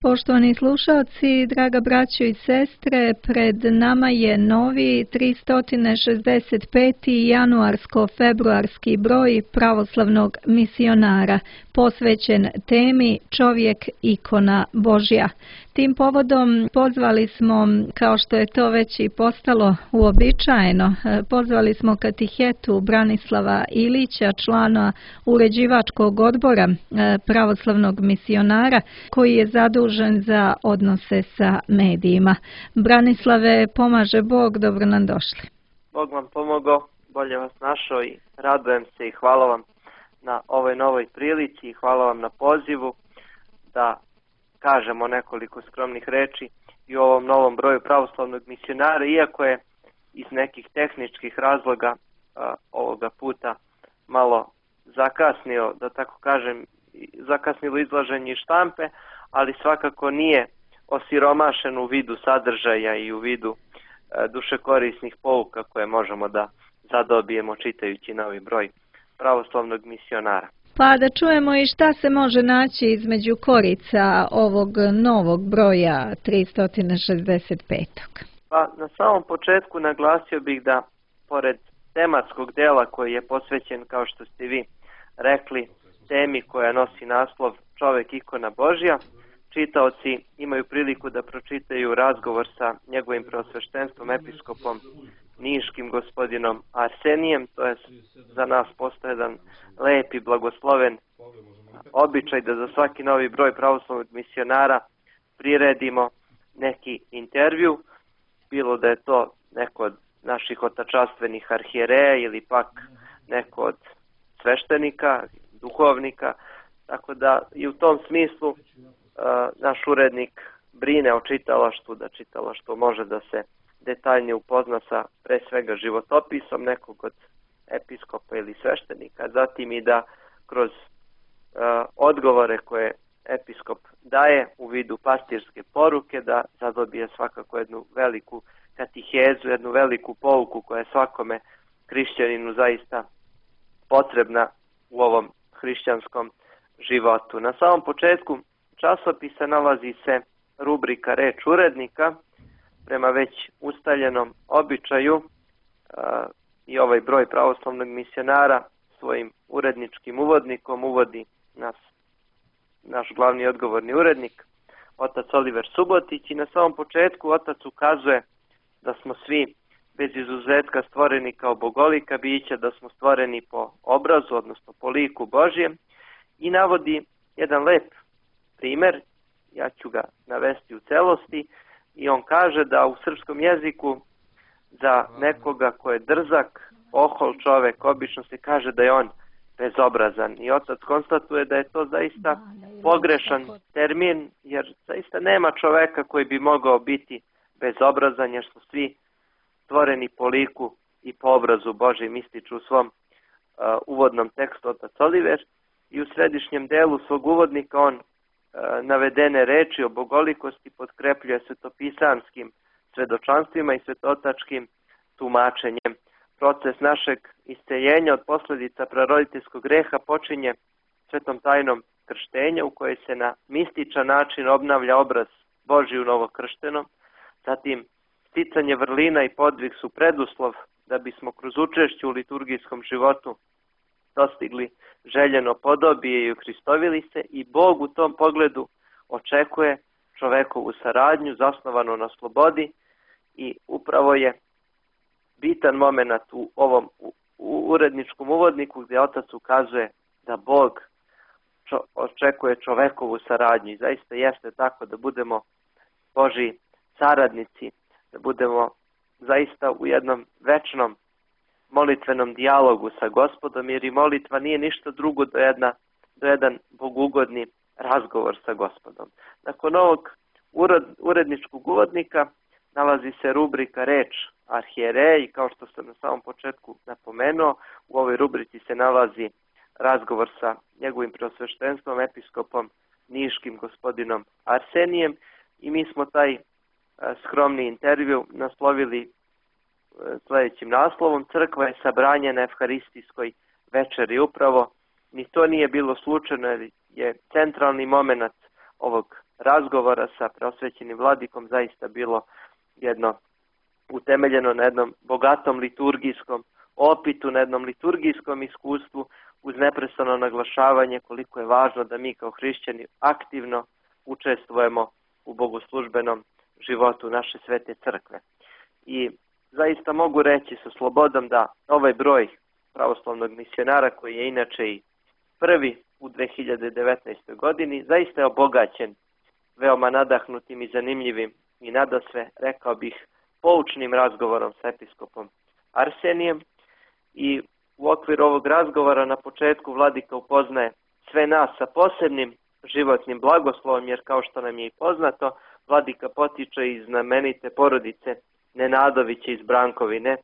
Poštovani slušalci, draga braćo i sestre, pred nama je novi 365. januarsko-februarski broj pravoslavnog misionara, posvećen temi Čovjek ikona Božja. Tim povodom pozvali smo, kao što je to već i postalo uobičajeno, pozvali smo katehetu Branislava Ilića, člana uređivačkog odbora pravoslavnog misionara, koji je zadužen za odnose sa medijima. Branislave, pomaže Bog, dobro nam došli. Bog vam pomogao, bolje vas našao i radujem se i hvala vam na ovoj novoj prilici i hvala vam na pozivu da kažemo nekoliko skromnih reči i u ovom novom broju pravoslavnog misionara, iako je iz nekih tehničkih razloga ovoga puta malo zakasnio, da tako kažem, zakasnilo izlaženje štampe, ali svakako nije osiromašen u vidu sadržaja i u vidu dušekorisnih pouka koje možemo da zadobijemo čitajući novi broj pravoslavnog misionara. Pa da čujemo i šta se može naći između korica ovog novog broja 365. Pa na samom početku naglasio bih da pored tematskog dela koji je posvećen, kao što ste vi rekli, temi koja nosi naslov Čovjek ikona Božja, čitaoci imaju priliku da pročitaju razgovor sa njegovim preosveštenstvom episkopom niškim gospodinom Arsenijem. To je za nas postoje jedan lep i blagosloven običaj da za svaki novi broj pravoslavnog misionara priredimo neki intervju, bilo da je to neko od naših otačastvenih arhijereja ili pak neko od sveštenika, duhovnika, tako da i u tom smislu naš urednik brine o čitalaštvu, da čitalaštvo može da se detaljnije upozna sa pre svega životopisom nekog od episkopa ili sveštenika, zatim i da kroz odgovore koje episkop daje u vidu pastirske poruke, da zadobije svakako jednu veliku katihezu, jednu veliku pouku koja je svakome hrišćaninu zaista potrebna u ovom hrišćanskom životu. Na samom početku časopisa nalazi se rubrika Reč urednika. Prema već ustaljenom običaju i ovaj broj pravoslavnog misionara svojim uredničkim uvodnikom uvodi naš glavni odgovorni urednik, otac Oliver Subotić, i na samom početku otac ukazuje da smo svi bez izuzetka stvoreni kao bogolika bića, da smo stvoreni po obrazu, odnosno po liku Božjem, i navodi jedan lep primer, ja ću ga navesti u celosti, i on kaže da u srpskom jeziku za nekoga ko je drzak, ohol čovek, obično se kaže da je on bezobrazan. I otac konstatuje da je to zaista pogrešan termin, jer zaista nema čoveka koji bi mogao biti bezobrazan, jer su svi stvoreni po liku i po obrazu Božjem, ističu u svom uvodnom tekstu otac Oliver. I u središnjem delu svog uvodnika on navedene reči o bogolikosti potkrepljuje svetopisanskim svedočanstvima i svetotačkim tumačenjem. Proces našeg isceljenja od posljedica praroditeljskog greha počinje svetom tajnom krštenja, u kojoj se na mističan način obnavlja obraz Božji u novokrštenom. Zatim, sticanje vrlina i podvig su preduslov da bismo kroz učešće u liturgijskom životu dostigli željeno podobije i uhristovili se, i Bog u tom pogledu očekuje čovekovu saradnju zasnovanu na slobodi, i upravo je bitan moment u ovom uredničkom uvodniku gdje otac ukazuje da Bog očekuje čovekovu saradnju, i zaista jeste tako, da budemo Božji saradnici, da budemo zaista u jednom večnom molitvenom dijalogu sa Gospodom, jer i molitva nije ništa drugo do jedan bogugodni razgovor sa Gospodom. Nakon ovog uredničkog uvodnika nalazi se rubrika Reč arhijereja, i kao što sam na samom početku napomenuo, u ovoj rubrici se nalazi razgovor sa njegovim preosveštenstvom episkopom niškim gospodinom Arsenijem, i mi smo taj skromni intervju naslovili sljedećim naslovom: Crkva je sabranje na evharistijskoj večeri. Upravo ni to nije bilo slučajno, jer je centralni moment ovog razgovora sa preosvećenim vladikom zaista bilo jedno utemeljeno na jednom bogatom liturgijskom opitu, na jednom liturgijskom iskustvu, uz neprestano naglašavanje koliko je važno da mi kao hrišćani aktivno učestvujemo u bogoslužbenom životu naše svete crkve. I zaista mogu reći sa slobodom da ovaj broj pravoslavnog misionara, koji je inače i prvi u 2019. godini, zaista je obogaćen veoma nadahnutim i zanimljivim i nadasve, rekao bih, poučnim razgovorom sa episkopom Arsenijem. I u okviru ovog razgovora na početku vladika upoznaje sve nas sa posebnim životnim blagoslovom, jer kao što nam je i poznato, vladika potiče iz znamenite porodice Nenadovića iz Brankovine.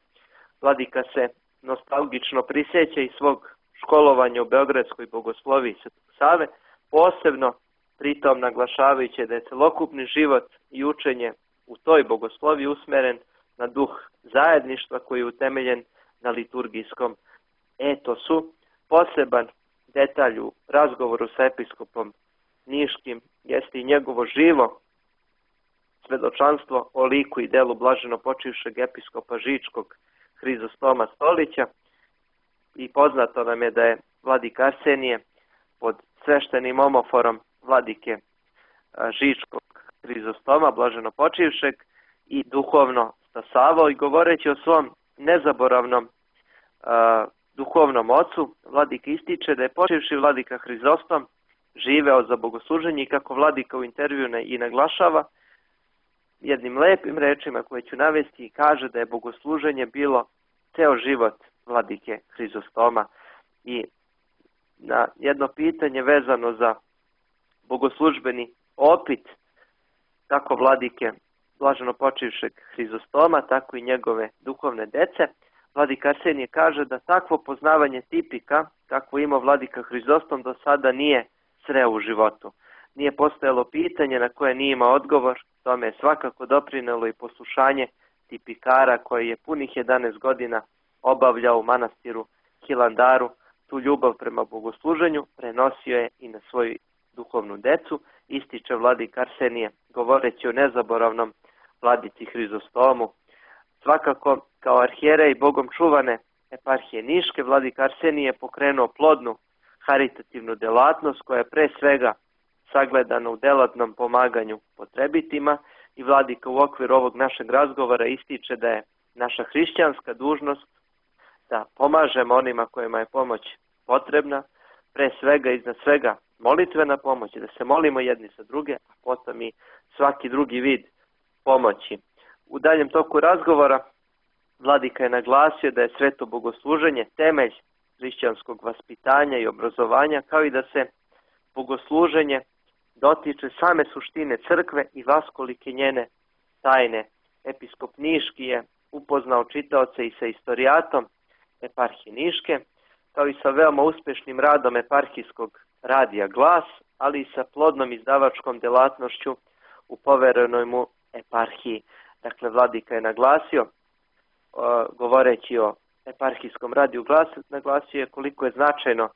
Vladika se nostalgično prisjeća iz svog školovanja u Beogradskoj bogosloviji Svetog Save, posebno pritom naglašavajući da je celokupni život i učenje u toj bogosloviji usmeren na duh zajedništva koji je utemeljen na liturgijskom etosu. Poseban detalj u razgovoru sa episkopom Niškim jeste i njegovo živo svedočanstvo o liku i delu blaženo počivšeg episkopa Žičkog Hrizostoma Stolića. I poznato nam je da je vladika Arsenije pod sveštenim omoforom vladike Žičkog Hrizostoma blaženo počivšeg i duhovno stasavao, i govoreći o svom nezaboravnom duhovnom ocu, vladika ističe da je počivši vladika Hrizostom živeo za bogosluženje, i kako vladika u intervju i naglašava jednim lepim rečima koje ću navesti, i kaže da je bogosluženje bilo ceo život vladike Hrizostoma. I na jedno pitanje vezano za bogoslužbeni opit kako vladike blaženo počivšeg Hrizostoma, tako i njegove duhovne dece, vladika Arsenije kaže da takvo poznavanje tipika kako ima vladika Hrizostom do sada nije sreo u životu. Nije postojalo pitanje na koje nije imao odgovor. Tome je svakako doprinelo i poslušanje tipikara koji je punih 11 godina obavljao u manastiru Hilandaru. Tu ljubav prema bogosluženju prenosio je i na svoju duhovnu decu, ističe vladika Arsenije govoreći o nezaboravnom vladici Hrizostomu. Svakako, kao arhijerej Bogom čuvane eparhije Niške, vladika Arsenije je pokrenuo plodnu haritativnu delatnost koja je pre svega sagledana u delatnom pomaganju potrebitima, i vladika u okviru ovog našeg razgovora ističe da je naša hrišćanska dužnost da pomažemo onima kojima je pomoć potrebna, pre svega iznad svega molitvena pomoć, da se molimo jedni za druge, a potom i svaki drugi vid pomoći. U daljem toku razgovora vladika je naglasio da je sveto bogosluženje temelj hrišćanskog vaspitanja i obrazovanja, kao i da se bogosluženje dotiče same suštine crkve i vaskolike njene tajne. Episkop Niški je upoznao čitaoce i sa istorijatom eparhije Niške, kao i sa veoma uspešnim radom eparhijskog radija Glas, ali i sa plodnom izdavačkom delatnošću u poverenoj mu eparhiji. Dakle, vladika je naglasio, govoreći o eparhijskom radiju Glas, naglasio je koliko je značajno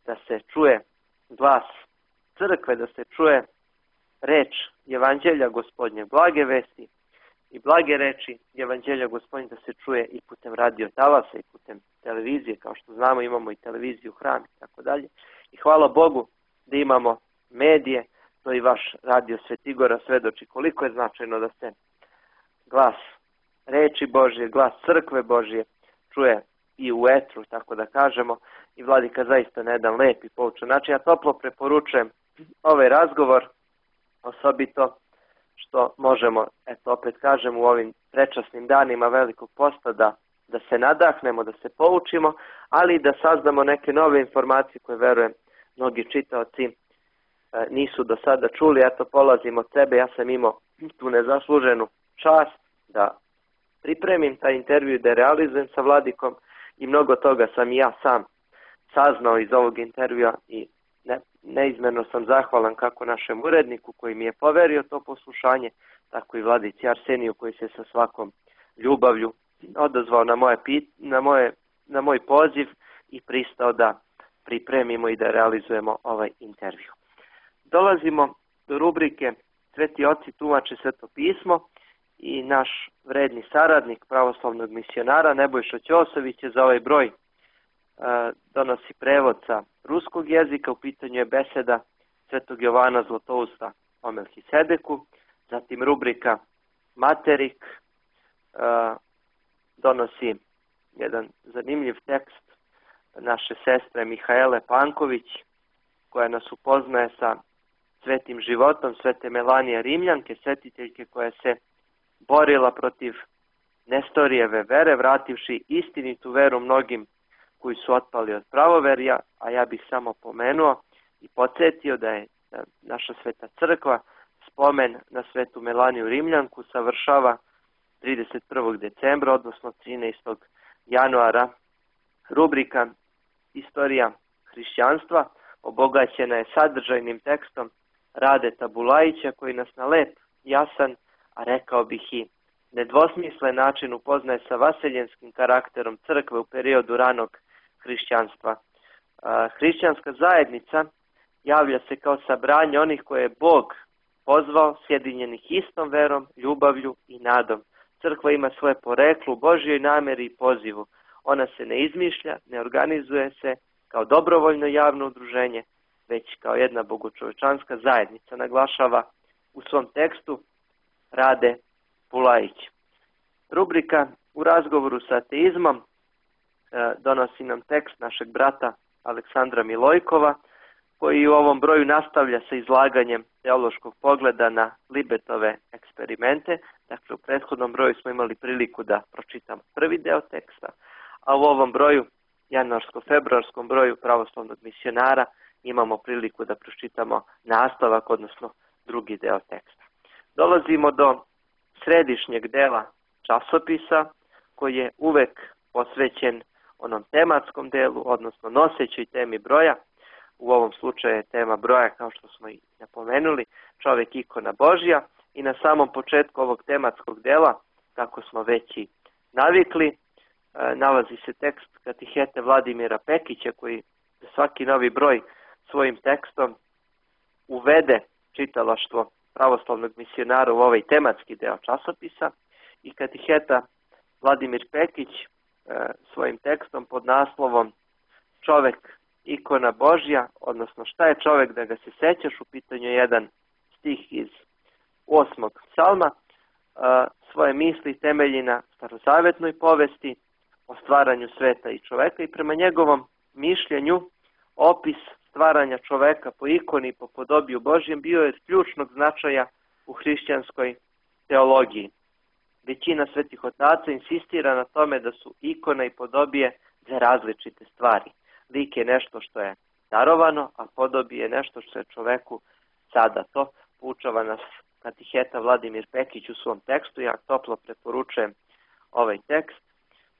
da se čuje glas crkve, da se čuje reč Evanđelja Gospodnje, blage vesti i blage reči Evanđelja Gospodnje, da se čuje i putem radio talasa i putem televizije. Kao što znamo, imamo i televiziju, Hram i tako dalje. I hvala Bogu da imamo medije, to i vaš radio Svetigora svedoči koliko je značajno da se glas reči Božje, glas crkve Božje čuje i u etru, tako da kažemo, i vladika zaista na jedan lep i poučan način. Ja toplo preporučujem ovaj razgovor, osobito što možemo, eto opet kažem, u ovim prečasnim danima Velikog posta da se nadahnemo, da se poučimo, ali i da saznamo neke nove informacije koje, verujem, mnogi čitaoci nisu do sada čuli. Eto, polazim od sebe, ja sam imao tu nezasluženu čast da pripremim taj intervju i da realizujem sa vladikom, i mnogo toga sam i ja sam saznao iz ovog intervjua, i neizmjerno sam zahvalan kako našem uredniku koji mi je poverio to poslušanje, tako i vladici Arseniju koji se sa svakom ljubavlju odazvao na moj poziv i pristao da pripremimo i da realizujemo ovaj intervju. Dolazimo do rubrike Sveti oci tumače Sveto pismo i naš vredni saradnik pravoslavnog misionara Nebojša Ćosović je za ovaj broj donosi prevod sa ruskog jezika. U pitanju je beseda Svetog Jovana Zlatousta o Melhisedeku, zatim rubrika Materik donosi jedan zanimljiv tekst naše sestre Mihaele Panković, koja nas upoznaje sa svetim životom svete Melanije Rimljanke, svetiteljke koja se borila protiv Nestorijeve vere, vrativši istinitu veru mnogim koji su otpali od pravoverja, a ja bih samo pomenuo i podsjetio da je naša sveta crkva spomen na svetu Melaniju Rimljanku savršava 31. decembra, odnosno 13. januara. Rubrika Istorija hrišćanstva obogaćena je sadržajnim tekstom Radeta Bulajića, koji nas na lep, jasan, a rekao bih i nedvosmislen način upoznaje sa vaseljenskim karakterom crkve u periodu ranog hrišćanstva. Hrišćanska zajednica javlja se kao sabranje onih koje je Bog pozvao, sjedinjenih istom verom, ljubavlju i nadom. Crkva ima svoje poreklo u Božjoj namjeri i pozivu. Ona se ne izmišlja, ne organizuje se kao dobrovoljno javno udruženje, već kao jedna bogočovečanska zajednica, naglašava u svom tekstu Rade Bulajić. Rubrika U razgovoru sa ateizmom donosi nam tekst našeg brata Aleksandra Milojkova, koji u ovom broju nastavlja sa izlaganjem teološkog pogleda na Libetove eksperimente. Dakle, u prethodnom broju smo imali priliku da pročitamo prvi deo teksta, a u ovom broju, januarsko-februarskom broju pravoslavnog misionara, imamo priliku da pročitamo nastavak, odnosno drugi deo teksta. Dolazimo do središnjeg dela časopisa, koji je uvek posvećen onom tematskom delu, odnosno nosećoj temi broja. U ovom slučaju je tema broja, kao što smo i napomenuli, čovjek ikona Božja. I na samom početku ovog tematskog dela, kako smo već i navikli, nalazi se tekst katihete Vladimira Pekića, koji za svaki novi broj svojim tekstom uvede čitalaštvo pravoslavnog misionara u ovaj tematski deo časopisa. I katiheta Vladimir Pekić svojim tekstom pod naslovom Čovek ikona Božja, odnosno šta je čovek da ga se sećaš, u pitanju jedan stih iz 8. psalma, svoje misli temelji na starozavetnoj povesti o stvaranju sveta i čoveka i prema njegovom mišljenju opis stvaranja čoveka po ikoni i po podobiju Božjem bio je ključnog značaja u hrišćanskoj teologiji. Većina svetih otaca insistira na tome da su ikona i podobije dve različite stvari. Lik je nešto što je darovano, a podobije je nešto što je čoveku zadato. Poučava nas katiheta Vladimir Pekić u svom tekstu, ja toplo preporučujem ovaj tekst.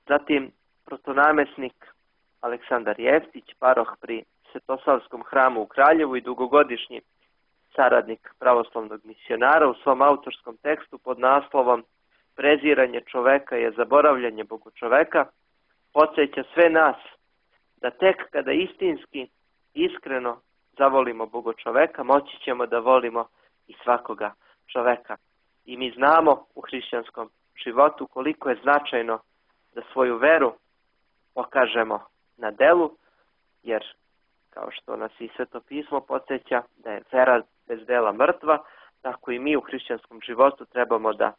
Zatim protonamesnik Aleksandar Jeftić, paroh pri Svetosavskom hramu u Kraljevu i dugogodišnji saradnik pravoslavnog misionara, u svom autorskom tekstu pod naslovom Preziranje čoveka je zaboravljanje bogočoveka, podsjeća sve nas da tek kada istinski, iskreno zavolimo bogočoveka, moći ćemo da volimo i svakoga čoveka. I mi znamo u hrišćanskom životu koliko je značajno da svoju veru pokažemo na delu, jer kao što nas i Sveto pismo podsjeća da je vera bez dela mrtva, tako i mi u hrišćanskom životu trebamo da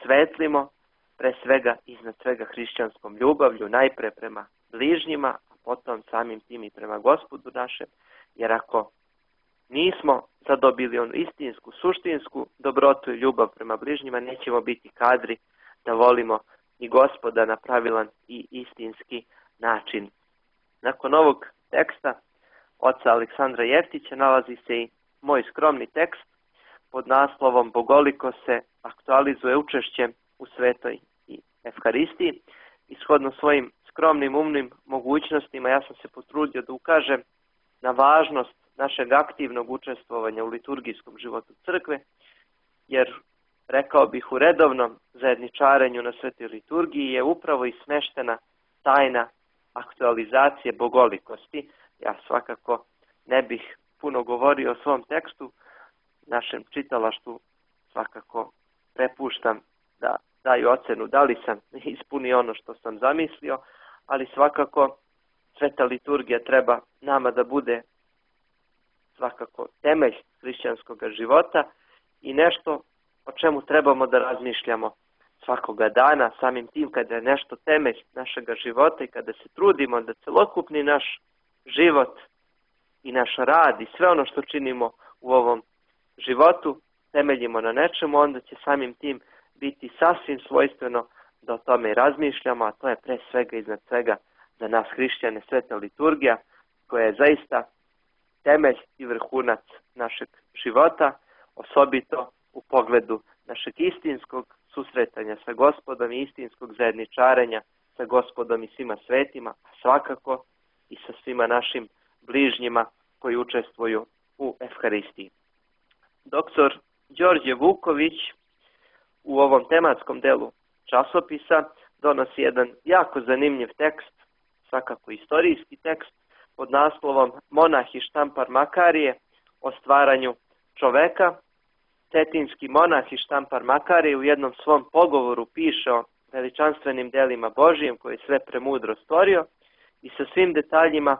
svetlimo, pre svega iznad svega hrišćanskom ljubavlju, najpre prema bližnjima, a potom samim tim i prema Gospodu našem, jer ako nismo zadobili onu istinsku, suštinsku dobrotu i ljubav prema bližnjima, nećemo biti kadri da volimo i Gospoda na pravilan i istinski način. Nakon ovog teksta oca Aleksandra Jeftića nalazi se i moj skromni tekst pod naslovom Bogoliko se aktualizuje učešćem u svetoj i Evharistiji. Ishodno svojim skromnim umnim mogućnostima ja sam se potrudio da ukažem na važnost našeg aktivnog učestvovanja u liturgijskom životu crkve, jer rekao bih u redovnom zajedničarenju na svetoj liturgiji je upravo i smeštena tajna aktualizacije bogolikosti. Ja svakako ne bih puno govorio o svom tekstu, našem čitalaštvu svakako prepuštam da daju ocenu da li sam ispunio ono što sam zamislio, ali svakako sveta liturgija treba nama da bude svakako temelj hrišćanskog života i nešto o čemu trebamo da razmišljamo svakoga dana, samim tim kada je nešto temelj našega života i kada se trudimo da celokupni naš život i naš rad i sve ono što činimo u ovom životu temeljimo na nečemu, onda će samim tim biti sasvim svojstveno da o tome i razmišljamo, a to je pre svega iznad svega za nas hrišćane sveta liturgija, koja je zaista temelj i vrhunac našeg života, osobito u pogledu našeg istinskog susretanja sa Gospodom i istinskog zajedničarenja sa Gospodom i svima svetima, a svakako i sa svima našim bližnjima koji učestvuju u Evharistiji. Doktor Đorđe Vuković u ovom tematskom delu časopisa donosi jedan jako zanimljiv tekst, svakako istorijski tekst, pod naslovom Monah i Štampar Makarije o stvaranju čoveka. Cetinski monah i Štampar Makarije u jednom svom pogovoru piše o veličanstvenim delima Božijim koje je sve premudro stvorio i sa svim detaljima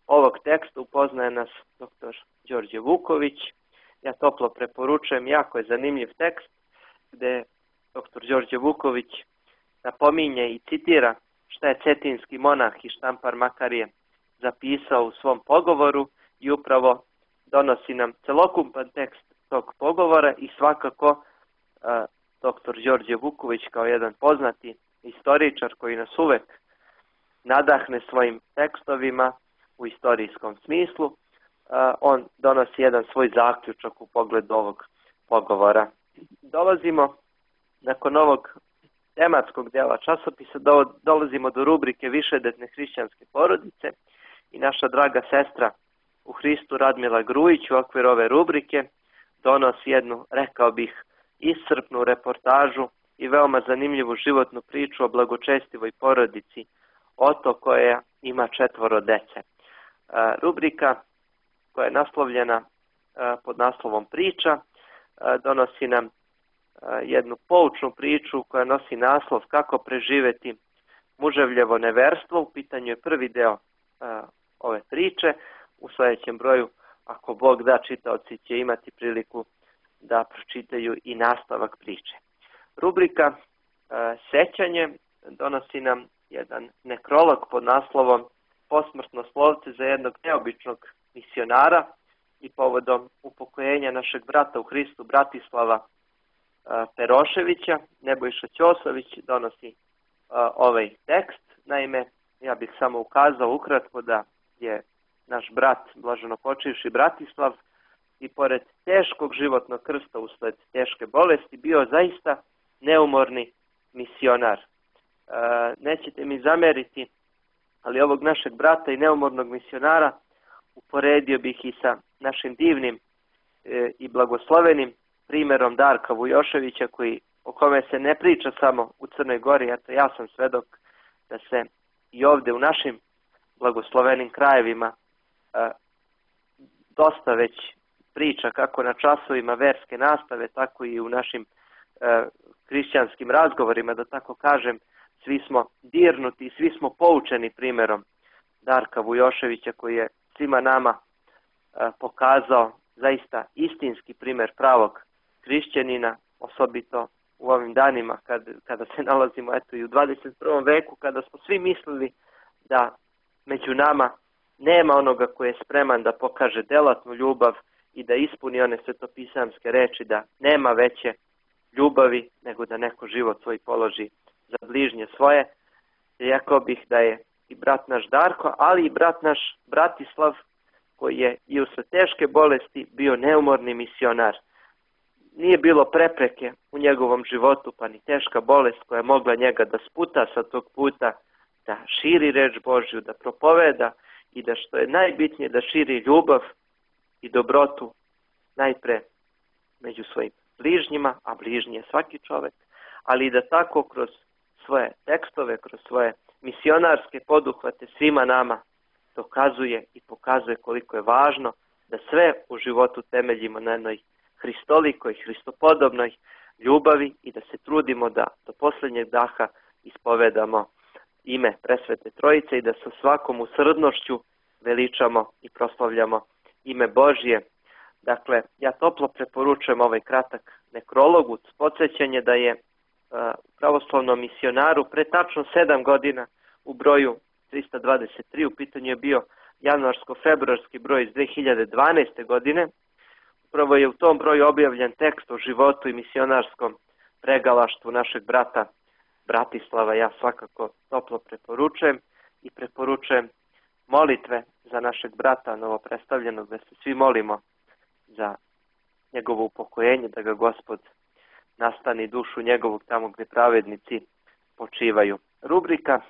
ovog teksta upoznaje nas dr. Đorđe Vuković. Ja toplo preporučujem, jako je zanimljiv tekst gde dr. Đorđe Vuković napominje i citira šta je cetinski monah i Štampar Makarije zapisao u svom pogovoru i upravo donosi nam celokupan tekst tog pogovora i svakako dr. Đorđe Vuković kao jedan poznati istoričar koji nas uvek nadahne svojim tekstovima u istorijskom smislu, on donosi jedan svoj zaključak u pogledu ovog pogovora. Dolazimo nakon ovog tematskog dela časopisa, dolazimo do rubrike Višedetne hrišćanske porodice i naša draga sestra u Hristu Radmila Grujić u okviru ove rubrike donosi jednu, rekao bih, iscrpnu reportažu i veoma zanimljivu životnu priču o blagočestivoj porodici Oto koja ima 4 dece. Rubrika koja je naslovljena pod naslovom Priča donosi nam jednu poučnu priču koja nosi naslov Kako preživeti muževljevo neverstvo. U pitanju je prvi deo ove priče. U sljedećem broju, ako Bog da, čitaoci će imati priliku da pročitaju i nastavak priče. Rubrika Sećanje donosi nam jedan nekrolog pod naslovom Posmrtno slovce za jednog neobičnog misionara i povodom upokojenja našeg brata u Hristu Bratislava Peroševića. Nebojša Ćosović donosi ovaj tekst. Naime, ja bih samo ukazao ukratko da je naš brat, blaženopočivši Bratislav, i pored teškog životnog krsta usled teške bolesti bio zaista neumorni misionar. Nećete mi zameriti, ali ovog našeg brata i neumornog misionara uporedio bih i sa našim divnim i blagoslovenim primjerom Darka Vujoševića, o kome se ne priča samo u Crnoj Gori. Eto, ja sam svedok da se i ovdje u našim blagoslovenim krajevima dosta već priča kako na časovima verske nastave, tako i u našim hrišćanskim razgovorima, da tako kažem, svi smo dirnuti i svi smo poučeni primjerom Darka Vujoševića koji je svima nama pokazao zaista istinski primjer pravog hrišćanina, osobito u ovim danima kada se nalazimo i u 21. veku, kada smo svi mislili da među nama nema onoga koji je spreman da pokaže delatnu ljubav i da ispuni one svetopisamske reči da nema veće ljubavi nego da neko život svoj položi za bližnje svoje. Rekao bih da je i brat naš Darko, ali i brat naš Bratislav, koji je i usled teške bolesti bio neumorni misionar. Nije bilo prepreke u njegovom životu, pa ni teška bolest koja je mogla njega da sputa sa tog puta, da širi reč Božju, da propoveda i da, što je najbitnije, da širi ljubav i dobrotu najpre među svojim bližnjima, a bližnji je svaki čovjek, ali i da tako kroz svoje tekstove, kroz svoje misionarske poduhvate svima nama dokazuje i pokazuje koliko je važno da sve u životu temeljimo na jednoj hristolikoj, hristopodobnoj ljubavi i da se trudimo da do posljednjeg daha ispovedamo ime Presvete Trojice i da sa svakom usrdnošću veličamo i proslavljamo ime Božje. Dakle, ja toplo preporučujem ovaj kratak nekrolog uz podsjećanje da je pravoslavnom misionaru pre tačno 7 godina u broju 323, u pitanju je bio januarsko-februarski broj iz 2012. godine. Upravo je u tom broju objavljen tekst o životu i misionarskom pregalaštvu našeg brata Bratislava. Ja svakako toplo preporučujem i preporučujem molitve za našeg brata novopredstavljenog, da se svi molimo za njegovo upokojenje, da ga Gospod nastani dušu njegovog tamo gdje pravednici počivaju. Rubrika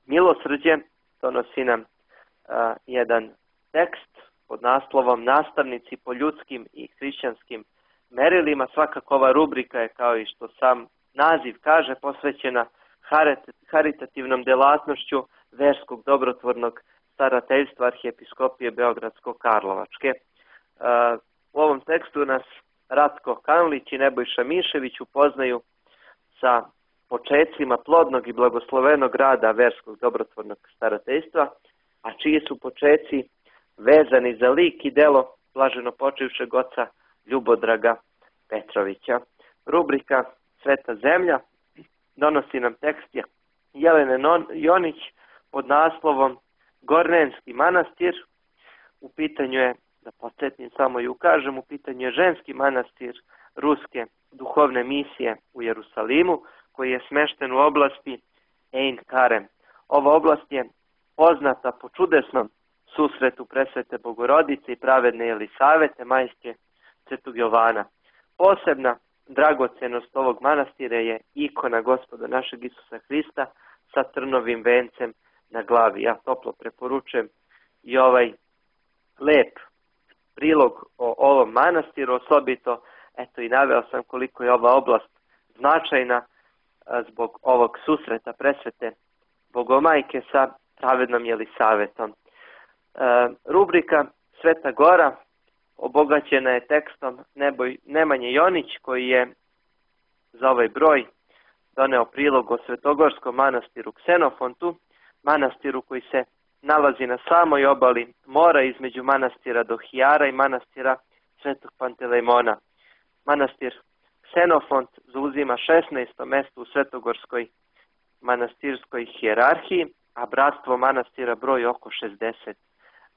Milosrđe donosi nam jedan tekst pod naslovom Nastavnici po ljudskim i hrišćanskim merilima. Svakako ova rubrika je, kao i što sam naziv kaže, posvećena haritativnom delatnošću verskog dobrotvornog starateljstva Arhijepiskopije Beogradsko-Karlovačke. U ovom tekstu nas Ratko Kanlić i Nebojša Mišević upoznaju sa počecima plodnog i blagoslovenog rada verskog dobrotvornog starateljstva, a čiji su počeci vezani za lik i delo blaženo počivšeg oca Ljubodraga Petrovića. Rubrika Sveta zemlja donosi nam tekst Jelene Jonić pod naslovom Gornenski manastir. U pitanju je, da podsjetim samo i ukažem, u pitanju je ženski manastir ruske duhovne misije u Jerusalimu, koji je smešten u oblasti Ein Karem. Ova oblast je poznata po čudesnom susretu Presvete Bogorodice i pravedne Jelisavete, majke Svetog Jovana. Posebna dragocenost ovog manastira je ikona Gospoda našeg Isusa Hrista sa trnovim vencem na glavi. Ja toplo preporučujem i ovaj lep prilog o ovom manastiru, osobito i naveo sam koliko je ova oblast značajna zbog ovog susreta Presvete Bogomajke sa pravednom Jelisavetom. Rubrika Sveta Gora obogaćena je tekstom Nemanje Jonić, koji je za ovaj broj doneo prilog o Svetogorskom manastiru Ksenofontu, manastiru koji se nalazi na samoj obali mora između manastira Dohijara i manastira Svetog Pantelejmona. Manastir Ksenofont zauzima 16. mjesto u Svetogorskoj manastirskoj hijerarhiji, a bratstvo manastira broji oko 60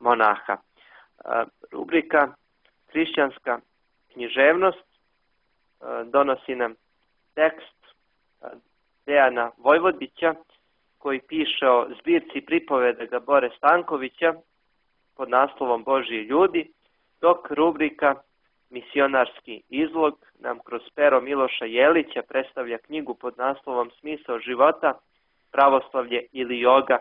monaha. Rubrika Hrišćanska književnost donosi nam tekst Dejana Vojvodića, koji piše o zbirci pripoveda Bore Stankovića pod naslovom Božji ljudi, dok rubrika Misionarski izlog nam kroz pero Miloša Jelića predstavlja knjigu pod naslovom Smisao života, pravoslavlje ili joga.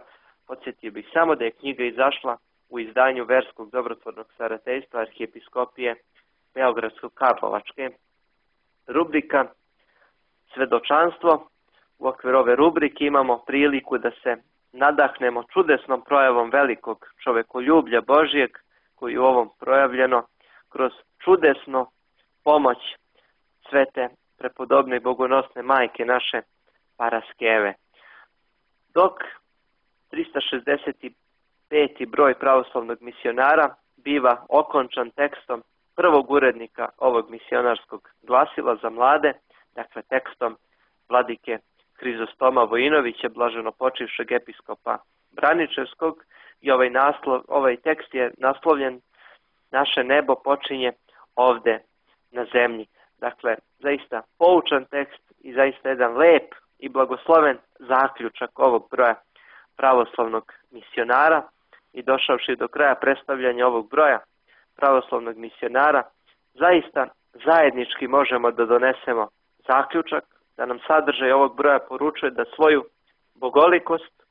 Podsjetio bih samo da je knjiga izašla u izdanju verskog dobrotvornog starateljstva Arhijepiskopije Beogradsko-Karlovačke. Rubrika Svedočanstvo. U okviru ove rubrike imamo priliku da se nadahnemo čudesnom projavom velikog čovekoljublja Božijeg, koji je u ovom projavljeno kroz čudesnu pomoć svete prepodobne i bogonosne majke naše Paraskeve. Dok 365. broj pravoslavnog misionara biva okončan tekstom prvog urednika ovog misionarskog glasila za mlade, dakle tekstom vladike Hrizostoma Vojinovića, blaženo počivšeg episkopa Braničevskog, i ovaj tekst je naslovljen Naše nebo počinje ovde na zemlji. Dakle, zaista poučan tekst i zaista jedan lep i blagosloven zaključak ovog broja pravoslavnog misionara. I došavši do kraja predstavljanja ovog broja pravoslavnog misionara, zaista zajednički možemo da donesemo zaključak da nam sadržaj ovog broja poručuje da svoju bogolikost,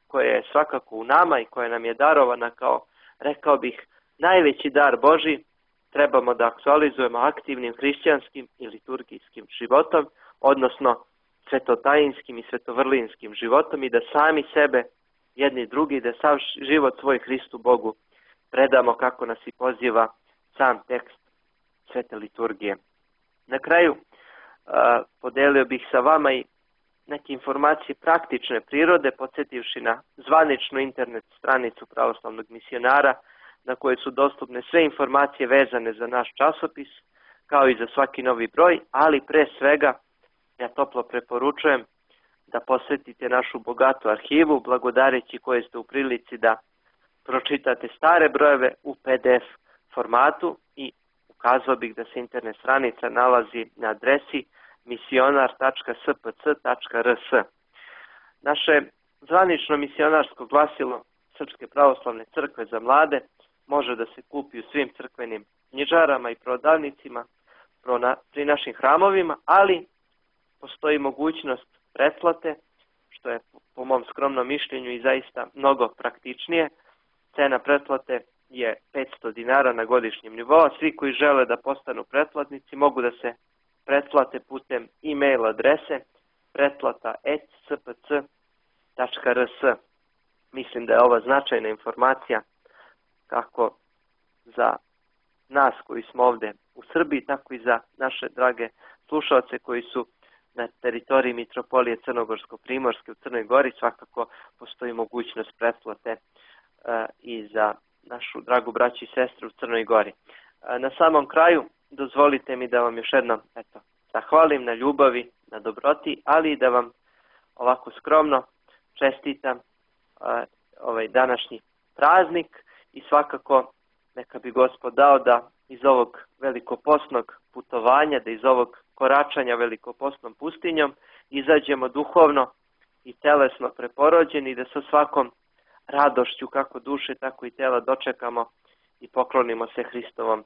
koja je svakako u nama i koja nam je darovana kao, rekao bih, najveći dar Božji, trebamo da aktualizujemo aktivnim hrišćanskim i liturgijskim životom, odnosno svetotajinskim i svetovrlinskim životom, i da sami sebe, jedni drugi, da sav život svoj Hristu Bogu predamo, kako nas i poziva sam tekst svete liturgije. Na kraju podelio bih sa vama i neke informacije praktične prirode, podsjetivši na zvaničnu internet stranicu pravoslavnog misionara, na kojoj su dostupne sve informacije vezane za naš časopis, kao i za svaki novi broj, ali pre svega ja toplo preporučujem da posjetite našu bogatu arhivu, blagodareći koje ste u prilici da pročitate stare brojeve u PDF formatu, i ukazao bih da se internet stranica nalazi na adresi misionar.spc.rs. Naše zvanično misionarsko glasilo Srpske pravoslavne crkve za mlade može da se kupi u svim crkvenim knjižarama i prodavnicima pri našim hramovima, ali postoji mogućnost pretplate, što je po mom skromnom mišljenju i zaista mnogo praktičnije. Cena pretplate je 500 dinara na godišnjem nivou. Svi koji žele da postanu pretplatnici mogu da se pretplate putem e-mail adrese pretplata@spc.rs. Mislim da je ova značajna informacija kako za nas koji smo ovde u Srbiji, tako i za naše drage slušalce koji su na teritoriji Mitropolije Crnogorsko-Primorske u Crnoj Gori. Svakako postoji mogućnost pretplate i za našu dragu braću i sestre u Crnoj Gori. Na samom kraju dozvolite mi da vam još jednom zahvalim na ljubavi, na dobroti, ali i da vam ovako skromno čestitam ovaj današnji praznik, i svakako neka bi Gospod dao da iz ovog velikopostnog putovanja, da iz ovog koračanja velikopostnom pustinjom izađemo duhovno i telesno preporođeni, i da sa svakom radošću kako duše, tako i tela dočekamo i poklonimo se Hristovom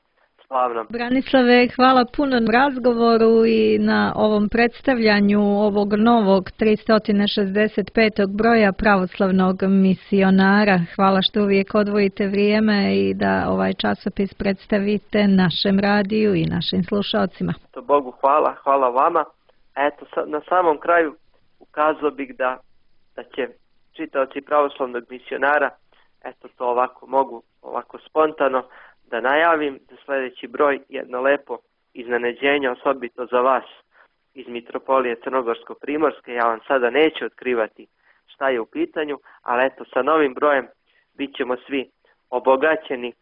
slavnom. Branislave, hvala puno na razgovoru i na ovom predstavljanju ovog novog 365. broja pravoslavnog misionara. Hvala što uvijek odvojite vrijeme i da ovaj časopis predstavite našem radiju i našim slušalcima. Bogu hvala, hvala vama. Na samom kraju ukazao bih da će čitaoci pravoslavnog misionara, to ovako mogu, ovako spontano da najavim, za sljedeći broj jedno lepo iznenađenje, osobito za vas iz Mitropolije Crnogorsko-Primorske. Ja vam sada neću otkrivati šta je u pitanju, ali sa novim brojem bit ćemo svi obogaćeni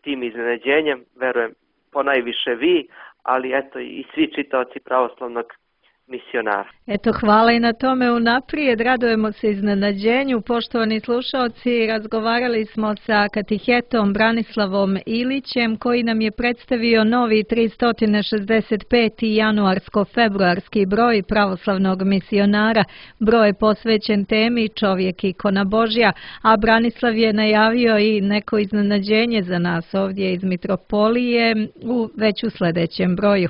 tim iznenađenjem, verujem ponajviše vi, ali i svi čitaoci pravoslavnog misionara. Hvala i na tome unaprijed, radujemo se iznenađenju. Poštovani slušalci, razgovarali smo sa katehetom Branislavom Ilićem, koji nam je predstavio novi 365. januarsko-februarski broj pravoslavnog misionara. Broj je posvećen temi Čovjek ikona Božja, a Branislav je najavio i neko iznenađenje za nas ovdje iz Mitropolije već u sljedećem broju.